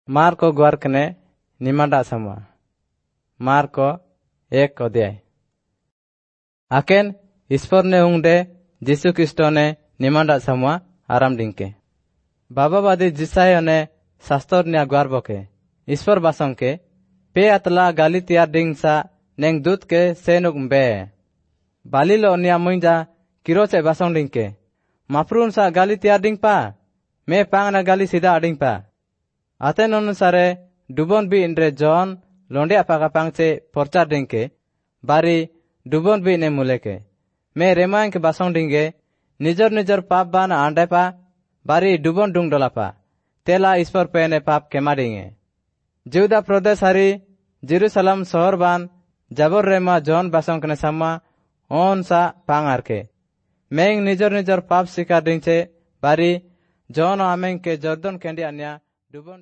Marco ग्वारकने निमांडा समुआ। Marco 1 अध्याय। आकेन ईश्वर ने उंगडे जीसु क्रिस्तो ने निमांडा समुआ आराम डिंके। बाबावादी जिसायो ने शास्त्र न्या ग्वारबके ईश्वर बासंके पे अतला गाली तियार डिंगसा नेंग दूत के सेनुक बे बालिलो न्या मुंजा किरोचे बासंग डिंके माप्रून सा गाली तियार डिंगपा मे पांगना गाली सीधा अडिंगपा। आतेन अनुसारे डुबन बी इंद्रे जॉन लोंडिया पाका पांगचे प्रचार डिंके बारी डुबन बी ने मुलेके मे रेमांग के बासंग डिंगे निजर निजर पाप बान आंडेपा बारी डुबन डुंग डोलापा तेला ईश्वर पेने पाप केमा डिंगे। जिउदा प्रदेश हारी जेरूसलम शहर बान जाबर रेमा जॉन बासंग कने सामा ओन सा पांग आरके मेंग निजर निजर पाप स्वीकार डिंगचे बारी जॉन आमेंग के जर्दन केंडी अन्या डुबन।